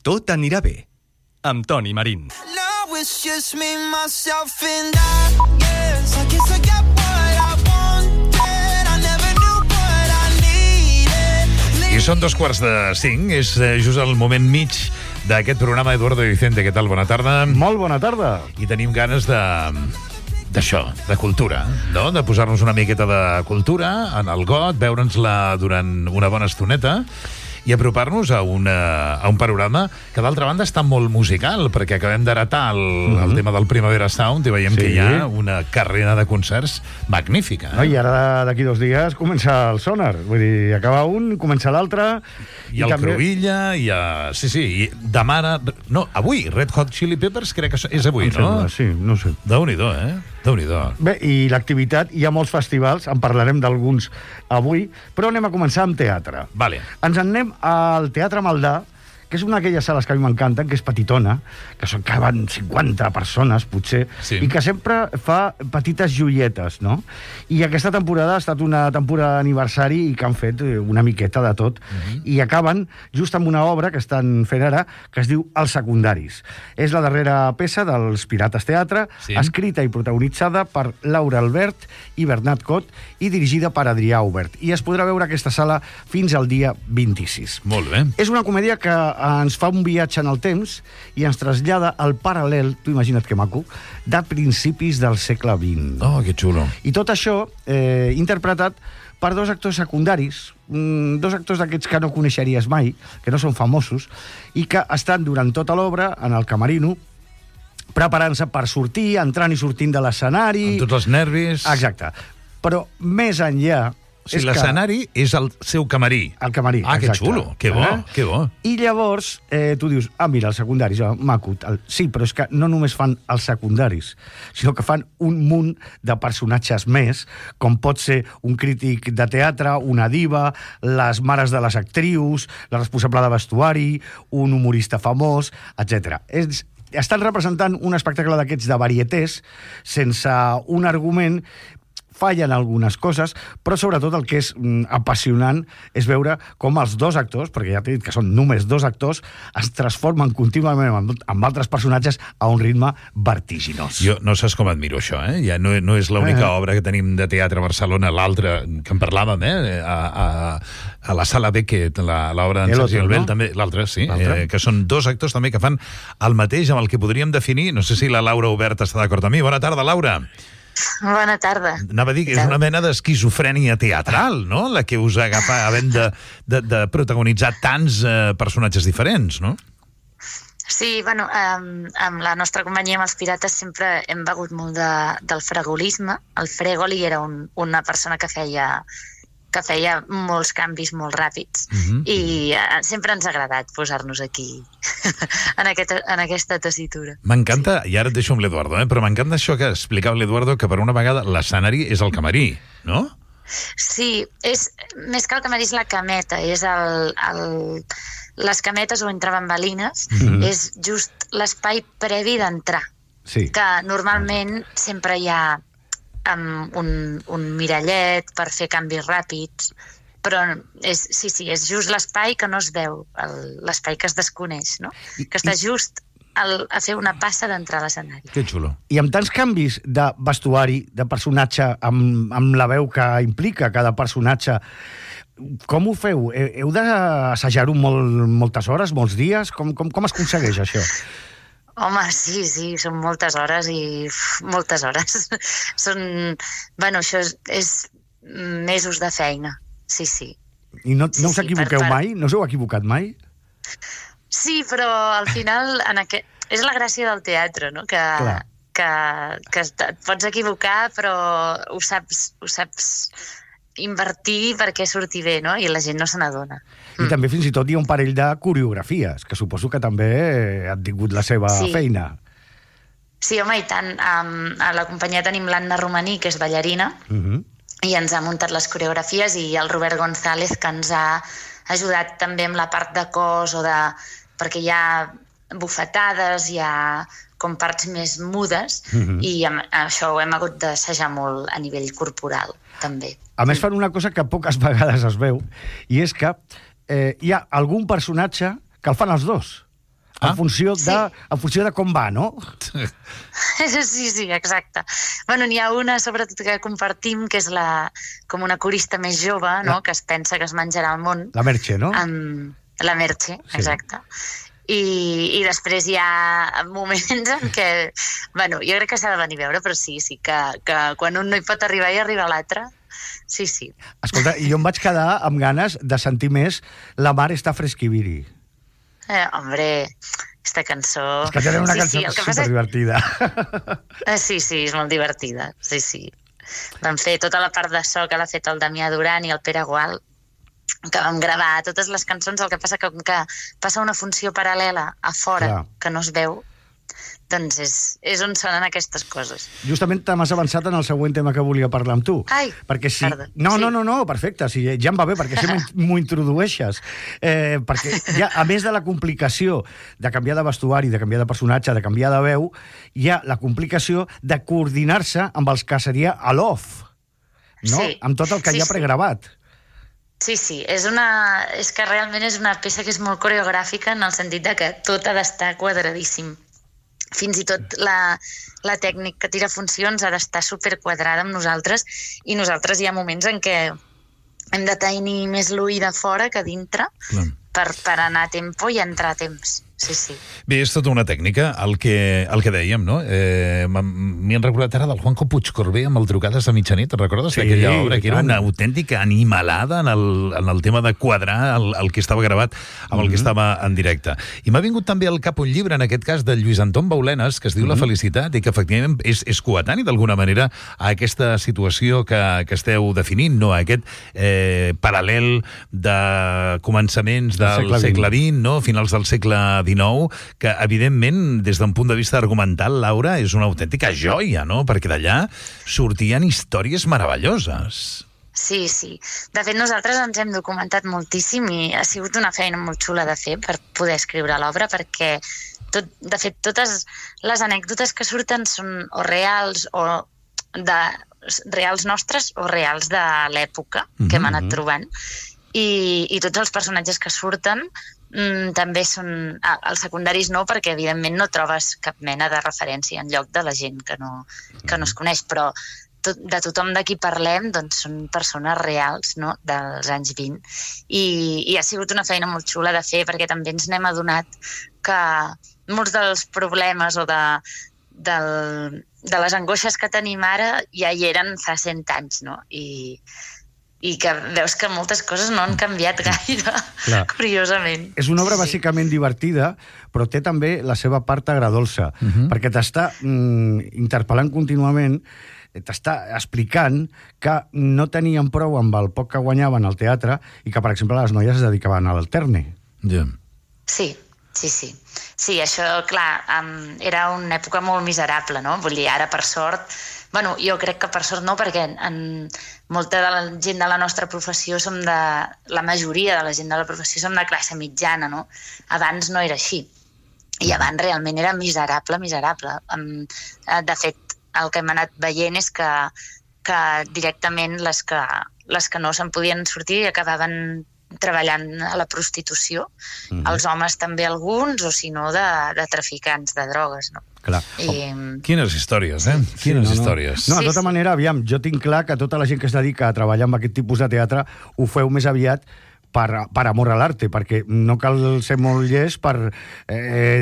Tot anirà bé, amb Toni Marín. Now it's just me, myself and I. Yes, I guess I got what I wanted. I never knew what I needed. I són 2:45, és just el moment mig d'aquest programa. Eduardo Vicente, què tal? Bona tarda. Molt bona tarda. I tenim ganes d'això, de cultura, no? De posar-nos una miqueta de cultura en el got, veure'ns-la durant una bona estoneta i apropar-nos a un panorama que, d'altra banda, està molt musical, perquè acabem d'heretar el tema del Primavera Sound i veiem que hi ha una carrera de concerts magnífica. No, I ara, d'aquí 2 dies, comença el Sonar. Vull dir, acaba un, comença l'altre. I el també... Cruïlla, i i demà... No, avui, Red Hot Chili Peppers, crec que és avui, no? Sembla, sí, no sé. Déu-n'hi-do, Déu-n'hi-do. Bé, i l'activitat, hi ha molts festivals, en parlarem d'alguns avui, però anem a començar amb teatre. Vale. Ens en anem al Teatre Maldà, que és una d'aquelles sales que a mi m'encanten, que és petitona, que van 50 persones, potser, i que sempre fa petites joietes, no? I aquesta temporada ha estat una temporada d'aniversari i que han fet una miqueta de tot. I acaben just amb una obra que estan fent ara, que es diu Els secundaris. És la darrera peça dels Pirates Teatre, escrita i protagonitzada per Laura Albert i Bernat Cot i dirigida per Adrià Aubert. I es podrà veure aquesta sala fins al dia 26. Molt bé. És una comèdia que ens fa un viatge en el temps i ens trasllada al paral·lel, tu imagina't que maco, de principis del segle XX. Oh, que xulo. I tot això interpretat per 2 actors secundaris, 2 actors d'aquests que no coneixeries mai, que no són famosos, i que estan durant tota l'obra en el camerino, preparant-se per sortir, entrant i sortint de l'escenari... Amb tots els nervis... Exacte. Però més enllà... O sigui, l'escenari és el seu camarí. El camarí, exacte. Que xulo, que bo, que bo. I llavors tu dius, mira, els secundaris, maco. Sí, però és que no només fan els secundaris, sinó que fan un munt de personatges més, com pot ser un crític de teatre, una diva, les mares de les actrius, la responsable de vestuari, un humorista famós, etc. Estan representant un espectacle d'aquests de varietés, sense un argument. Fallen algunes coses, però sobretot el que és apassionant és veure com els 2 actors, perquè ja t'he dit que són només 2 actors, es transformen contínuament amb altres personatges a un ritme vertiginós. Jo no saps com admiro això, Ja no és l'única obra que tenim de teatre a Barcelona, l'altra que en parlàvem, a la Sala Beckett, l'obra d'en Sergi Albel, també, l'altra, sí, que són 2 actors també que fan el mateix amb el que podríem definir, no sé si la Laura Obert està d'acord amb mi. Bona tarda, Laura. Bona tarda. Anava a dir que és una mena d'esquizofrènia teatral, no?, la que us agafa havent de protagonitzar tants personatges diferents, no? Sí, bueno, amb la nostra companyia, amb els Pirates, sempre hem begut molt del fregolisme. El Fregoli era una persona que feia molts canvis molt ràpids i sempre ens ha agradat posar-nos aquí en aquesta tessitura. M'encanta, i ara et deixo amb l'Eduardo, però m'encanta això que explicava l'Eduardo, que per una vegada l'escenari és el camarí, no? Sí, més que el camarí és la cameta, és les cametes o entre bambalines, és just l'espai previ d'entrar, que normalment sempre hi ha amb un mirallet per fer canvis ràpids, però és just l'espai que no es veu, l'espai que es desconeix, no? Que està just a fer una passa d'entrar a l'escenari. Que xulo. I amb tants canvis de vestuari, de personatge, amb la veu que implica cada personatge, com ho feu? Heu d'assajar-ho moltes hores, molts dies? Com es aconsegueix això? Home, sí, són moltes hores i moltes hores. Bueno, això és mesos de feina, sí. I no us equivoqueu mai? No us heu equivocat mai? Sí, però al final és la gràcia del teatre, no? Que et pots equivocar, però ho saps invertir perquè surti bé, no? I la gent no se n'adona. I també fins i tot hi ha un parell de coreografies, que suposo que també han tingut la seva feina. Sí, home, i tant. A la companyia tenim l'Anna Romaní, que és ballarina, i ens ha muntat les coreografies, i el Robert González, que ens ha ajudat també amb la part de cos, perquè hi ha bufetades, hi ha com parts més mudes, i això ho hem hagut d'assajar molt a nivell corporal, també. A més, fan una cosa que poques vegades es veu, i és que hi ha algun personatge que el fan els 2. En funció de com va, no? Sí, exacte. Bueno, n'hi ha una, sobretot, que compartim, que és com una corista més jove, no? Que es pensa que es menjarà el món. La Merche, no? La Merche, exacte. I després hi ha moments en què... Bueno, jo crec que s'ha de venir a veure, però sí, que quan un no hi pot arribar i arriba l'altre, sí. Escolta, jo em vaig quedar amb ganes de sentir més La mar està fresquiviri. Hombre, aquesta cançó... És que tenen una cançó superdivertida. Sí, és molt divertida, sí. Vam fer tota la part de so que l'ha fet el Damià Duran i el Pere Gual, que vam gravar totes les cançons, el que passa que passa una funció paral·lela a fora, que no es veu, doncs és on sonen aquestes coses. Justament t'has avançat en el següent tema que volia parlar amb tu. Ai, perquè perdó. No, perfecte, ja em va bé, perquè si m'ho introdueixes. Perquè ja, a més de la complicació de canviar de vestuari, de canviar de personatge, de canviar de veu, hi ha la complicació de coordinar-se amb els que seria a l'off, no? Amb tot el que hi ha pregravat. Sí, és que realment és una peça que és molt coreogràfica en el sentit de que tot ha d'estar quadradíssim. Fins i tot la tècnica que tira funcions ha d'estar superquadrada amb nosaltres, i nosaltres hi ha moments en què hem de tenir més l'ull de fora que dintre per anar a tempo i entrar a temps. Sí. Bé, és tota una tècnica, el que dèiem, no? M'hi han recordat ara del Juanjo Puigcorbé amb el Trucades a mitjanit, recordes? Sí, aquella obra que era una autèntica animalada en el tema de quadrar el que estava gravat amb el que estava en directe. I m'ha vingut també al cap un llibre, en aquest cas, de Lluís Anton Baulenes, que es diu La felicitat, i que efectivament és coetani d'alguna manera a aquesta situació que esteu definint, no? Aquest paral·lel de començaments del segle XX, no? Finals del segle XIX, que evidentment des d'un punt de vista argumental, Laura, és una autèntica joia, no? Perquè d'allà sortien històries meravelloses. Sí. De fet, nosaltres ens hem documentat moltíssim i ha sigut una feina molt xula de fer per poder escriure l'obra, perquè de fet totes les anècdotes que surten són o reals o reals nostres o reals de l'època que hem anat trobant, i tots els personatges que surten també són... Els secundaris no, perquè evidentment no trobes cap mena de referència en lloc de la gent que no es coneix, però de tothom de qui parlem doncs són persones reals, no?, dels anys 20, i ha sigut una feina molt xula de fer, perquè també ens n'hem adonat que molts dels problemes o de les angoixes que tenim ara ja hi eren fa 100 anys, no?, i que veus que moltes coses no han canviat gaire, curiosament. És una obra bàsicament divertida, però té també la seva part agradolça, perquè t'està interpel·lant contínuament, t'està explicant que no tenien prou amb el poc que guanyaven al teatre i que, per exemple, les noies es dedicaven a l'alterne. Sí. Sí, això, clar, era una època molt miserable, no? Vull dir, ara, per sort... Bueno, jo crec que per sort no, perquè molta de la gent de la nostra professió la majoria de la gent de la professió som de classe mitjana, no? Abans no era així. I abans realment era miserable. De fet, el que hem anat veient és que directament les que no se'n podien sortir acabaven treballant a la prostitució, els homes també alguns, o si no de traficants de drogues, no? Clar. Quines històries, Quines històries. No, de tota manera, aviam, jo tinc clar que tota la gent que es dedica a treballar amb aquest tipus de teatre ho feu més aviat per amor a l'arte, perquè no cal ser molt llest per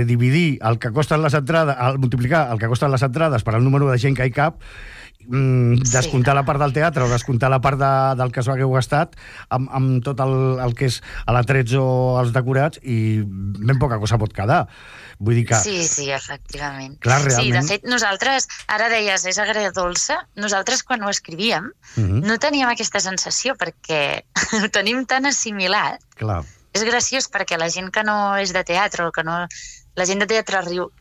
dividir el que costen les entrades, multiplicar el que costen les entrades per al número de gent que hi cap, descomptar la part del teatre o descomptar la part del que s'ho hagueu gastat amb tot el que és l'atrets o els decorats, i ben poca cosa pot quedar. Vull dir que... Sí, efectivament. Clar, realment... Sí, de fet, nosaltres, ara deies, és agredolça, nosaltres quan ho escrivíem no teníem aquesta sensació, perquè ho tenim tan assimilat. Clar. És graciós perquè la gent que no és de teatre, la gent de teatre riu,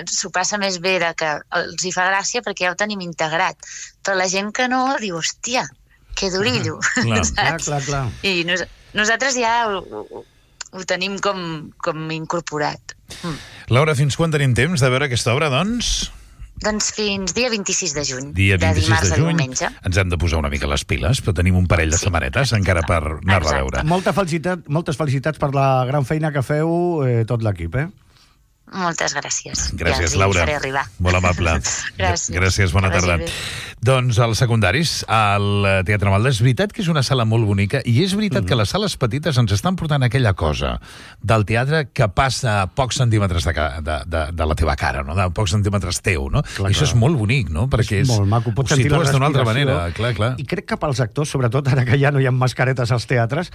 s'ho passa més bé de que els hi fa gràcia perquè ja ho tenim integrat, però la gent que no diu, hòstia, que durillo. Clar. I nosaltres ja ho tenim com incorporat. Laura, fins quan tenim temps de veure aquesta obra, doncs? Doncs fins dia 26 de juny. Dia 26 de dimarts de juny. A diumenge. Ens hem de posar una mica les piles, però tenim un parell de setmanetes encara per anar-la a veure. Moltes felicitats per la gran feina que feu tot l'equip, Moltes gràcies. Gràcies, ja Laura. Faré arribar. Molt amable. Gràcies. Bona tarda. Doncs als secundaris, al Teatre Malda, és veritat que és una sala molt bonica i és veritat que les sales petites ens estan portant aquella cosa del teatre que passa a pocs centímetres de la teva cara, no? De pocs centímetres teu, no? Clar, I això és molt bonic, no? Perquè és molt maco. Pots sentir la d'una altra respiració. manera. Clar. I crec que pels actors, sobretot ara que ja no hi ha mascaretes als teatres,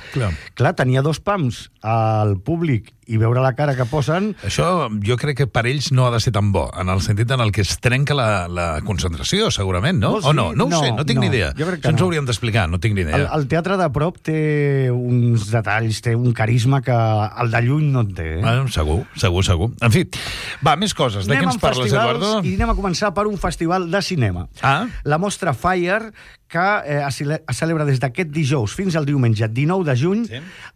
clar, tenia 2 pams al públic i veure la cara que posen... Això jo crec que per ells no ha de ser tan bo, en el sentit en el que es trenca la concentració, segurament, no? O no? No ho sé, no tinc ni idea. Això ens ho hauríem d'explicar, no tinc ni idea. El teatre de prop té uns detalls, té un carisma que el de lluny no en té. Bueno, segur. En fi, va, més coses. De què ens parles, Eduardo? I anem a començar per un festival de cinema. La Mostra Fire, que es celebra des d'aquest dijous fins al diumenge 19 de juny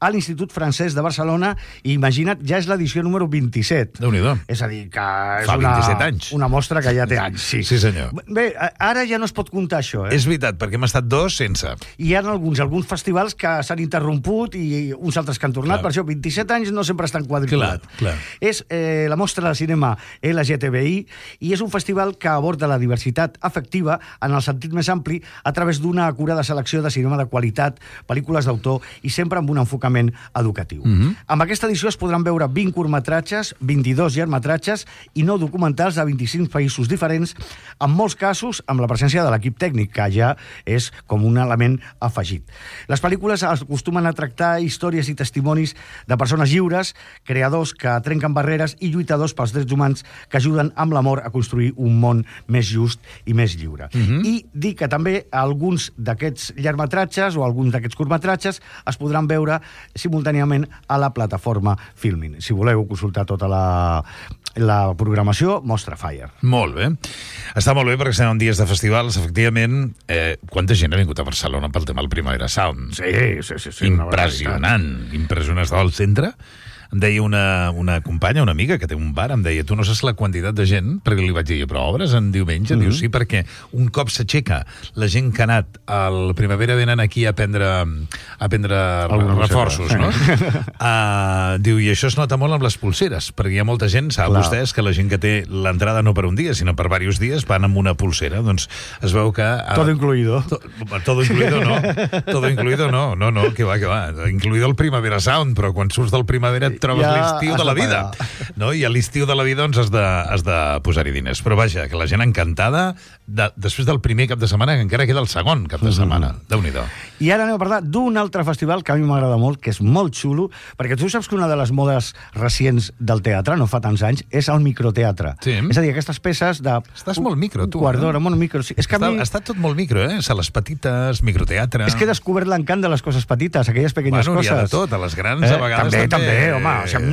a l'Institut Francès de Barcelona, i imagina't, ja és l'edició número 27. Déu-n'hi-do. És a dir, que és fa 27 anys. Una mostra que ja té anys. Sí, senyor. Bé, ara ja no es pot comptar això, És veritat, perquè hem estat 2 sense. I hi ha alguns festivals que s'han interromput i uns altres que han tornat, per això 27 anys no sempre estan quadriculat. Clar. És la Mostra de Cinema LGTBI i és un festival que aborda la diversitat afectiva en el sentit més ampli a través d'una acurada selecció de cinema de qualitat, pel·lícules d'autor i sempre amb un enfocament educatiu. Amb aquesta edició es podran veure 20 curtmetratges, 22 llargmetratges i 9 documentals de 25 països diferents, en molts casos amb la presència de l'equip tècnic, que ja és com un element afegit. Les pel·lícules acostumen a tractar històries i testimonis de persones lliures, creadors que trenquen barreres i lluitadors pels drets humans que ajuden amb l'amor a construir un món més just i més lliure. I dir que també alguns d'aquests llargmetratges o alguns d'aquests curtmetratges es podran veure simultàniament a la plataforma Filmin. Si voleu consultar tota la programació, Mostra Fire. Molt bé. Està molt bé perquè estem en dies de festivals, efectivament. Quanta gent ha vingut a Barcelona pel tema del Primavera Sound? Sí. Impressionant. Estava al centre. Em deia una companya, una amiga que té un bar, em deia, tu no saps la quantitat de gent, perquè li vaig dir, però obres en diumenge? Diu, sí, perquè un cop s'aixeca la gent que ha anat al Primavera venen aquí a prendre reforços, no? Diu, i això es nota molt amb les pulseres, perquè hi ha molta gent, saben vostès, que la gent que té l'entrada no per un dia, sinó per diversos dies, van amb una pulsera. Doncs es veu que... Todo incluido. Todo incluido no. Todo incluido no. No, que va. Incluido el Primavera Sound, però quan surts del Primavera trobes l'estiu de la vida, no? I a l'estiu de la vida doncs has de posar-hi diners. Però vaja, que la gent encantada després del primer cap de setmana, que encara queda el segon cap de setmana. Déu-n'hi-do. I ara anem a parlar d'un altre festival que a mi m'agrada molt, que és molt xulo, perquè tu saps que una de les modes recents del teatre, no fa tants anys, és el microteatre. Sí. És a dir, aquestes peces de... Estàs molt micro, tu. Quart d'hora, molt micro. Sí. És que ha estat tot molt micro, Sales petites, microteatre... És que he descobert l'encant de les coses petites, aquelles pequeñes coses. Hi ha de tot, a les grans a vegades també, home,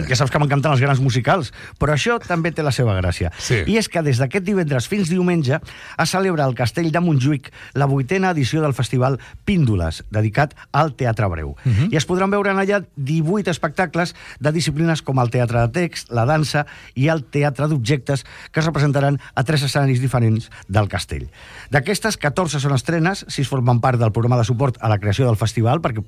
ja saps que m'encanten els grans musicals, però això també té la seva gràcia. Sí. I és que des d'aquest divendres fins diumenge es celebra al Castell de Montjuïc la 8a edició del festival Píndoles, dedicat al teatre breu. I es podran veure en allà 18 espectacles de disciplines com el teatre de text, la dansa i el teatre d'objectes, que es representaran a 3 escenaris diferents del castell. D'aquestes, 14 són estrenes, 6 formen part del programa de suport a la creació del festival, perquè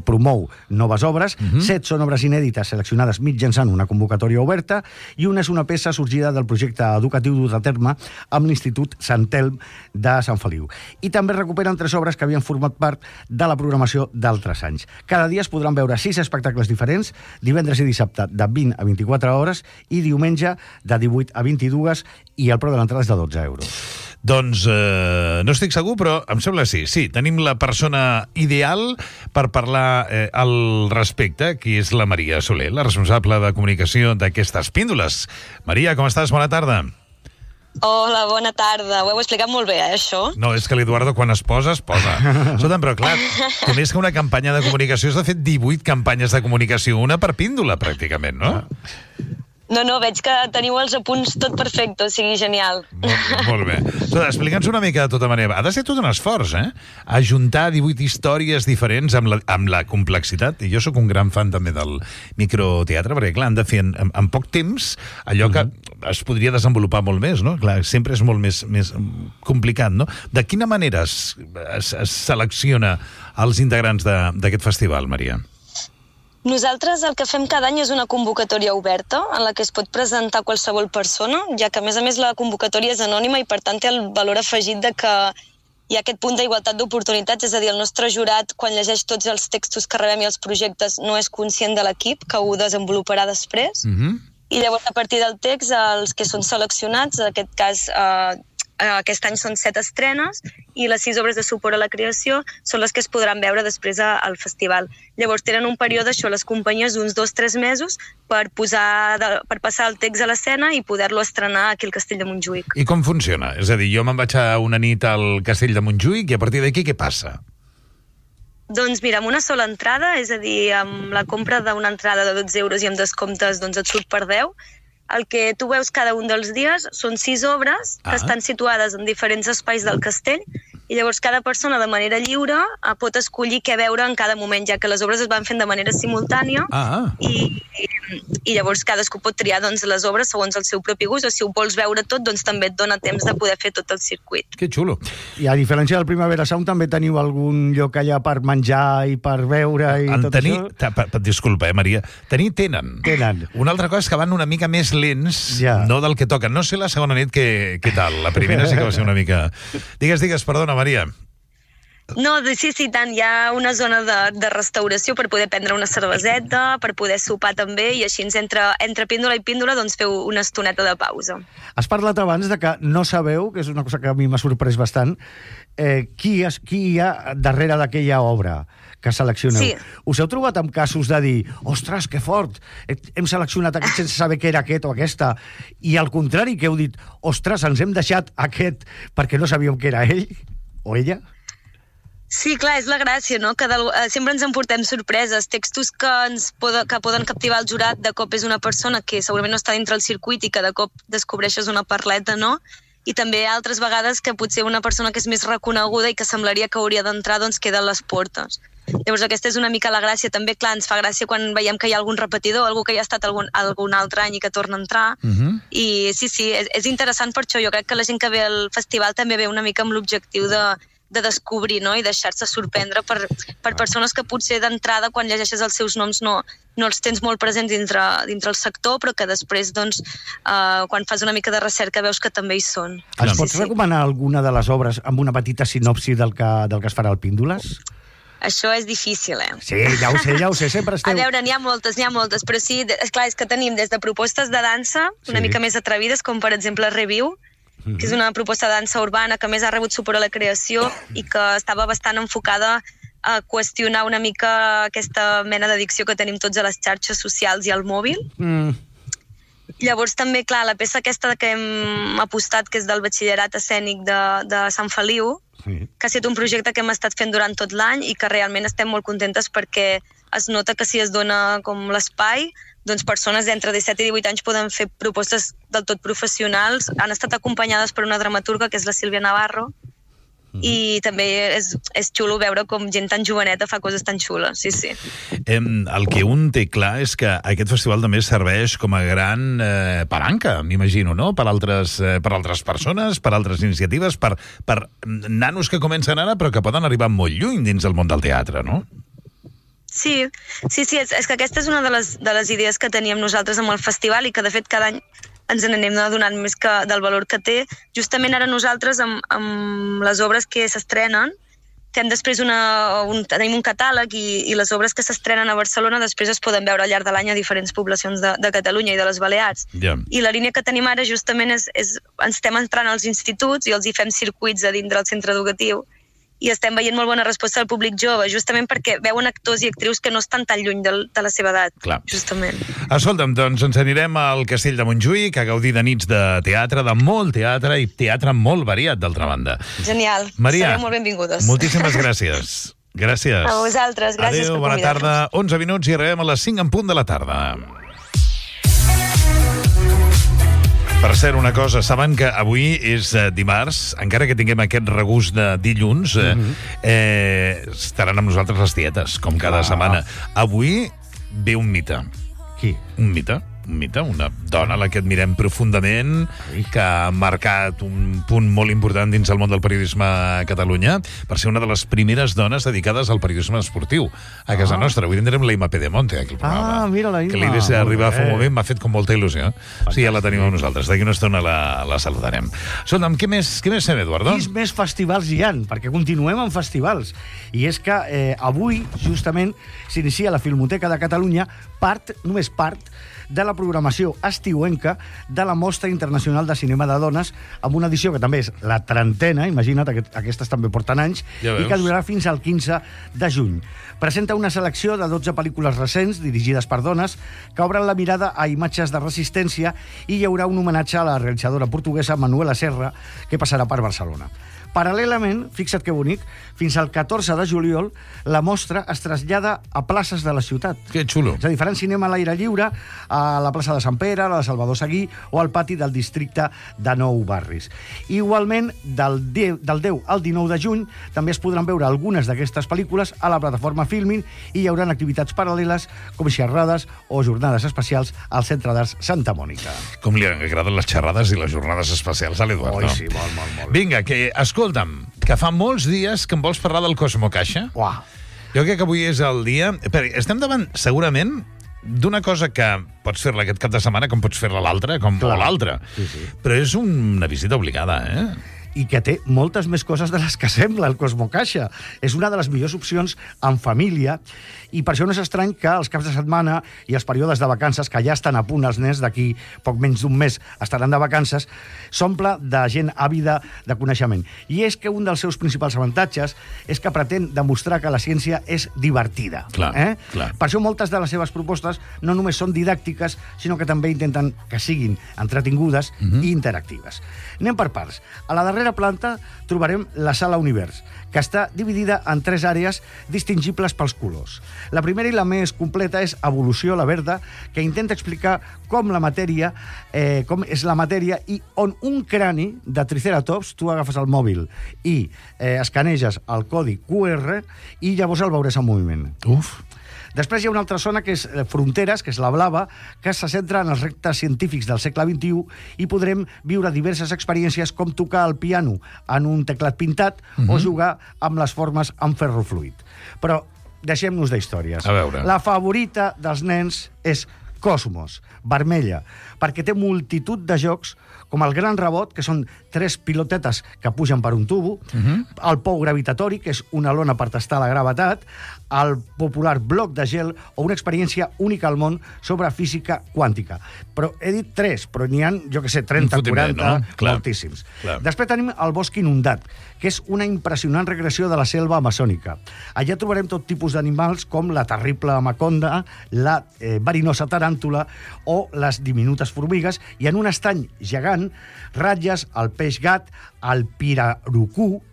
promou noves obres, 7 són obres inèdites seleccionades mitjançant una convocatòria oberta, i una és una peça sorgida del projecte educatiu dut a terme amb l'Institut Sant Telm de Sant Feliu. I també recuperen 3 obres que havien format part de la programació d'altres anys. Cada dia es podran veure 6 espectacles diferents, divendres i dissabte de 20 a 24 hores i diumenge de 18 a 22, i el preu de l'entrada és de 12 euros. Doncs no estic segur, però em sembla que sí. Sí, tenim la persona ideal per parlar al respecte, qui és la Maria Soler, la responsable de comunicació d'aquestes píndoles. Maria, com estàs? Bona tarda. Hola, bona tarda. Ho heu explicat molt bé, això? No, és que l'Eduardo quan es posa, es posa. Escolta'm, però clar, té més que una campanya de comunicació, has de fer 18 campanyes de comunicació, una per píndola, pràcticament, no? No, veig que teniu els apunts tot perfecte, o sigui, genial. Molt bé. Explica'ns una mica de tota manera. Ha de ser tot un esforç, Ajuntar 18 històries diferents amb la complexitat. I jo sóc un gran fan també del microteatre, perquè, clar, han de fer en poc temps allò que es podria desenvolupar molt més, no? Clar, sempre és molt més complicat, no? De quina manera es selecciona els integrants d'aquest festival, Maria? Nosaltres el que fem cada any és una convocatòria oberta en la que es pot presentar qualsevol persona, ja que a més la convocatòria és anònima i per tant té el valor afegit de que hi ha aquest punt d'igualtat d'oportunitats, és a dir, el nostre jurat, quan llegeix tots els textos que rebem i els projectes, no és conscient de l'equip, que ho desenvoluparà després. I llavors, a partir del text, els que són seleccionats, en aquest cas, aquest any són 7 estrenes, i les 6 obres de suport a la creació són les que es podran veure després al festival. Llavors, tenen un període, les companyies, d'uns 2-3 mesos per passar el text a l'escena i poder-lo estrenar aquí al Castell de Montjuïc. I com funciona? És a dir, jo me'n vaig a una nit al Castell de Montjuïc i a partir d'aquí què passa? Doncs mira, amb una sola entrada, és a dir, amb la compra d'una entrada de 12 euros i amb descomptes doncs et surt per 10, el que tu veus cada un dels dies són 6 obres que estan situades en diferents espais del castell i llavors cada persona de manera lliure pot escollir què veure en cada moment, ja que les obres es van fent de manera simultània i llavors cadascú pot triar doncs, les obres segons el seu propi gust, o si ho vols veure tot, doncs també et dona temps de poder fer tot el circuit. Que xulo. I a diferència del Primavera Sound també teniu algun lloc allà per menjar i per veure i tot això? Disculpa, Maria. Tenen. Una altra cosa és que van una mica més lents, no del que toquen. No sé la segona nit què tal. La primera sí que va ser una mica... Digues, perdona, Maria. No, sí, tant. Hi ha una zona de restauració per poder prendre una cerveseta, per poder sopar també, i així entre píndola i píndola doncs feu una estoneta de pausa. Has parlat abans de que no sabeu, que és una cosa que a mi m'ha sorprès bastant, qui hi ha darrere d'aquella obra que seleccioneu. Sí. Us heu trobat amb casos de dir, ostres, que fort, hem seleccionat aquest sense saber què era aquest o aquesta, i al contrari, que heu dit, ostres, ens hem deixat aquest perquè no sabíem què era ell o ella? Sí, clar, és la gràcia, no? Que sempre ens emportem sorpreses, textos que poden captivar el jurat, de cop és una persona que segurament no està dintre el circuit i que de cop descobreixes una perleta, no? I també altres vegades que potser una persona que és més reconeguda i que semblaria que hauria d'entrar, doncs queda a les portes. Llavors aquesta és una mica la gràcia. També, clar, ens fa gràcia quan veiem que hi ha algun repetidor, algú que ja ha estat algun altre any i que torna a entrar. I sí, és interessant per això. Jo crec que la gent que ve al festival també ve una mica amb l'objectiu de descobrir, no? I deixar-se sorprendre per persones que potser d'entrada, quan llegeixes els seus noms, no els tens molt presents dintre el sector, però que després, doncs, quan fas una mica de recerca, veus que també hi són. Ens pots recomanar alguna de les obres amb una petita sinopsi del que es farà al Píndoles? Això és difícil, Sí, ja ho sé, sempre esteu... A veure, n'hi ha moltes, però sí, esclar, és que tenim des de propostes de dansa una mica més atrevides, com per exemple Review, que és una proposta de dansa urbana que més ha rebut suport a la creació i que estava bastant enfocada a qüestionar una mica aquesta mena d'addicció que tenim tots a les xarxes socials i al mòbil. Llavors també, clar, la peça aquesta que hem apostat, que és del batxillerat escènic de Sant Feliu, que ha estat un projecte que hem estat fent durant tot l'any i que realment estem molt contentes perquè es nota que si es dona com l'espai, doncs persones d'entre 17 i 18 anys poden fer propostes del tot professionals. Han estat acompanyades per una dramaturga, que és la Sílvia Navarro, i també és xulo veure com gent tan joveneta fa coses tan xules, sí. El que un té clar és que aquest festival també serveix com a gran palanca, m'imagino, no? Per altres persones, per altres iniciatives, per nanos que comencen ara però que poden arribar molt lluny dins del món del teatre, no? Sí, és que aquesta és una de les idees que teníem nosaltres amb el festival i que de fet cada any ens n'anem adonant més del valor que té. Justament ara nosaltres amb les obres que s'estrenen fem després tenim un catàleg i les obres que s'estrenen a Barcelona després es poden veure al llarg de l'any a diferents poblacions de Catalunya i de les Balears. I la línia que tenim ara justament és ens estem entrant als instituts i els hi fem circuits a dintre del centre educatiu i estem veient molt bona resposta del públic jove, justament perquè veuen actors i actrius que no estan tan lluny de la seva edat, justament. Escolta'm, doncs ens anirem al Castell de Montjuïc a gaudir de nits de teatre, de molt teatre i teatre molt variat, d'altra banda. Genial, Maria, sereu molt benvingudes. Moltíssimes gràcies. Gràcies. A vosaltres, gràcies per convidar-nos. Adéu, bona tarda, 11 minuts i arribem a les 5 en punt de la tarda. Per cert, una cosa, saben que avui és dimarts, encara que tinguem aquest regust de dilluns, estaran amb nosaltres les tietes, com cada setmana. Avui ve un mite. Qui? Un mite. una dona a la que admirem profundament, que ha marcat un punt molt important dins el món del periodisme a Catalunya, per ser una de les primeres dones dedicades al periodisme esportiu a casa nostra. Avui tindrem la Ima Pedemonte aquí al programa. Mira la Ima. Que l'idea d'arribar fa un moment m'ha fet com molta il·lusió. Sí, ja la tenim amb nosaltres. D'aquí una estona la saludarem. Escolta'm, què més fem, Eduardo? Quins més festivals hi ha? Perquè continuem amb festivals. I és que avui, justament, s'inicia la Filmoteca de Catalunya només part de la programació estiuenca de la Mostra Internacional de Cinema de Dones, amb una edició que també és la 30ena, imagina't, aquestes també porten anys, i que durarà fins al 15 de juny. Presenta una selecció de 12 pel·lícules recents dirigides per dones que obren la mirada a imatges de resistència, i hi haurà un homenatge a la realitzadora portuguesa Manuela Serra, que passarà per Barcelona. Paral·lelament, fixa't que bonic, fins al 14 de juliol la mostra es trasllada a places de la ciutat. Que xulo. És a dir, faran cinema a l'aire lliure a la plaça de Sant Pere, a la de Salvador Seguí o al pati del districte de Nou Barris. Igualment, del 10 al 19 de juny també es podran veure algunes d'aquestes pel·lícules a la plataforma Filmin, i hi haurà activitats paral·leles com xerrades o jornades especials al Centre d'Arts Santa Mònica. Com li agraden les xerrades i les jornades especials a l'Eduardo. Oi, sí, molt. Vinga, escolta'm, que fa molts dies que em vols parlar del Cosmo Caixa. Uah. Jo crec que avui és el dia... Estem davant, segurament, d'una cosa que pots fer-la aquest cap de setmana com pots fer-la l'altra, o l'altra. Sí. Però és una visita obligada, I que té moltes més coses de les que sembla, el Cosmo Caixa. És una de les millors opcions en família, i per això no és estrany que els caps de setmana i els períodes de vacances, que ja estan a punt els nens, d'aquí poc menys d'un mes estaran de vacances, s'omple de gent àvida de coneixement. I és que un dels seus principals avantatges és que pretén demostrar que la ciència és divertida. Clar. Per això moltes de les seves propostes no només són didàctiques, sinó que també intenten que siguin entretingudes i interactives. Anem per parts. A la darrera planta trobarem la Sala Univers, que està dividida en 3 àrees distingibles pels colors. La primera i la més completa és Evolució, la verda, que intenta explicar com és la matèria, i on un crani de Triceratops, tu agafes el mòbil i escaneges el codi QR i llavors el veuràs en moviment. Uf! Després hi ha una altra zona, que és Fronteres, que és la blava, que se centra en els reptes científics del segle XXI, i podrem viure diverses experiències com tocar el piano en un teclat pintat o jugar amb les formes amb ferro fluid. Però deixem-nos d'històries. A veure. La favorita dels nens és Cosmos, vermella, perquè té multitud de jocs, com el Gran Rebot, que són 3 pilotetes que pugen per un tubo, el Pou Gravitatori, que és una lona per tastar la gravetat, el popular Bloc de Gel, o una experiència única al món sobre física quàntica. Però he dit 3, però n'hi ha, jo que sé, 30, 40, moltíssims. Després tenim el Bosc Inundat, que és una impressionant regressió de la selva amazònica. Allà trobarem tot tipus d'animals, com la terrible amaconda, la verinosa taràntula o les diminutes formigues, i en un estany gegant ratlles el peix gat, el pirarucú,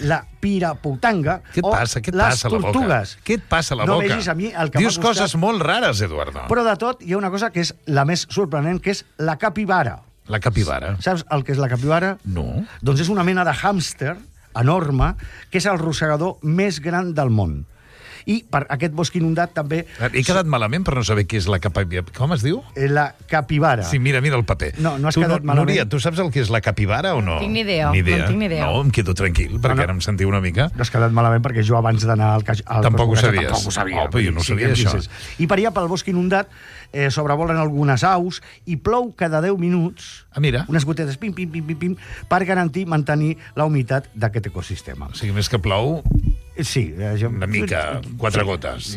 la piraputanga o les tortugues. Què et passa a la boca? No vegis a mi el que dius coses molt rares, Eduardo. Però de tot hi ha una cosa que és la més sorprenent, que és la capibara. La capibara? Saps el que és la capibara? No. Doncs és una mena de hàmster enorme, que és el rosegador més gran del món. I per aquest bosc inundat també... He quedat malament per no saber què és la capibara. Com es diu? La capibara. Sí, mira el paper. No has quedat malament. Núria, tu saps el que és la capibara o no? No tinc ni idea. No, em quedo tranquil, perquè ara em sentiu una mica. No has quedat malament, perquè jo abans d'anar al Tampoc ho sabies. Tampoc ho sabia. Però jo no sabia això. I per allà, pel bosc inundat, sobrevolen algunes aus i plou cada 10 minuts. Mira. Unes gotetes, pim, pim, pim, pim, pim, per mantenir la humitat d'aquest ecosistema. O sigui, més que plou... Sí. Una mica, 4 gotes.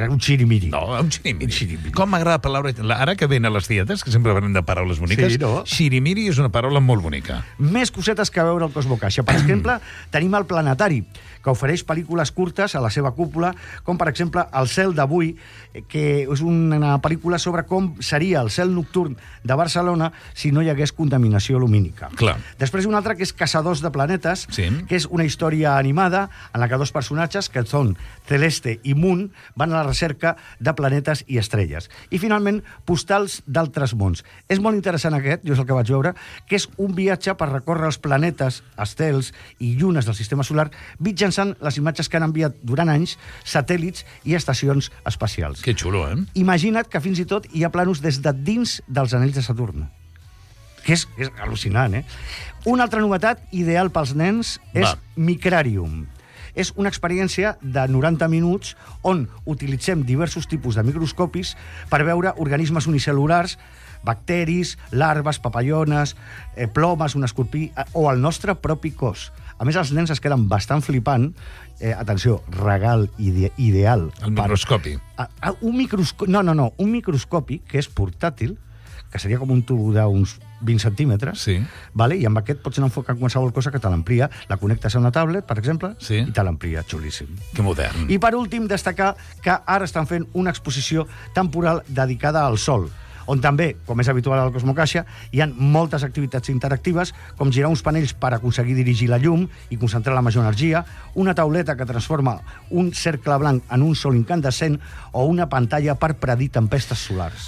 Un xirimiri. No, un xirimiri. Com m'agrada la paraula... Ara que ven a les dietes, que sempre parlem de paraules boniques, xirimiri és una paraula molt bonica. Més cosetes que veure al Cosmo Caixa. Per exemple, tenim el planetari, que ofereix pel·lícules curtes a la seva cúpula, com per exemple El cel d'avui, que és una pel·lícula sobre com seria el cel nocturn de Barcelona si no hi hagués contaminació lumínica. Clar. Després una altra, que és Caçadors de planetes, que és una història animada en la que 2 personatges, que són Celeste i Moon, van a la recerca de planetes i estrelles. I, finalment, Postals d'altres mons. És molt interessant aquest, jo és el que vaig veure, que és un viatge per recórrer els planetes, estels i llunes del sistema solar mitjançant les imatges que han enviat durant anys satèl·lits i estacions espacials. Que xulo, eh? Imagina't que fins i tot hi ha planos des de dins dels anells de Saturn. Que és al·lucinant, eh? Una altra novetat ideal pels nens és Micrarium. És una experiència de 90 minuts on utilitzem diversos tipus de microscopis per veure organismes unicel·lulars, bacteris, larves, papallones, plomes, un escorpí o el nostre propi cos. A més, els nens es queden bastant flipant. Atenció, regal ideal. El microscopi. Un microscopi que és portàtil, que seria com un tub d'uns 20 centímetres, sí. Vale? I amb aquest pots anar enfocant qualsevol cosa que te l'amplia. La connectes a una tablet, per exemple, sí. I te l'amplia, xulíssim. Que modern. I per últim, destacar que ara estan fent una exposició temporal dedicada al Sol, on també, com és habitual al Cosmocaixa, hi ha moltes activitats interactives, com girar uns panells per aconseguir dirigir la llum i concentrar la major energia, una tauleta que transforma un cercle blanc en un sol incandescent o una pantalla per predir tempestes solars.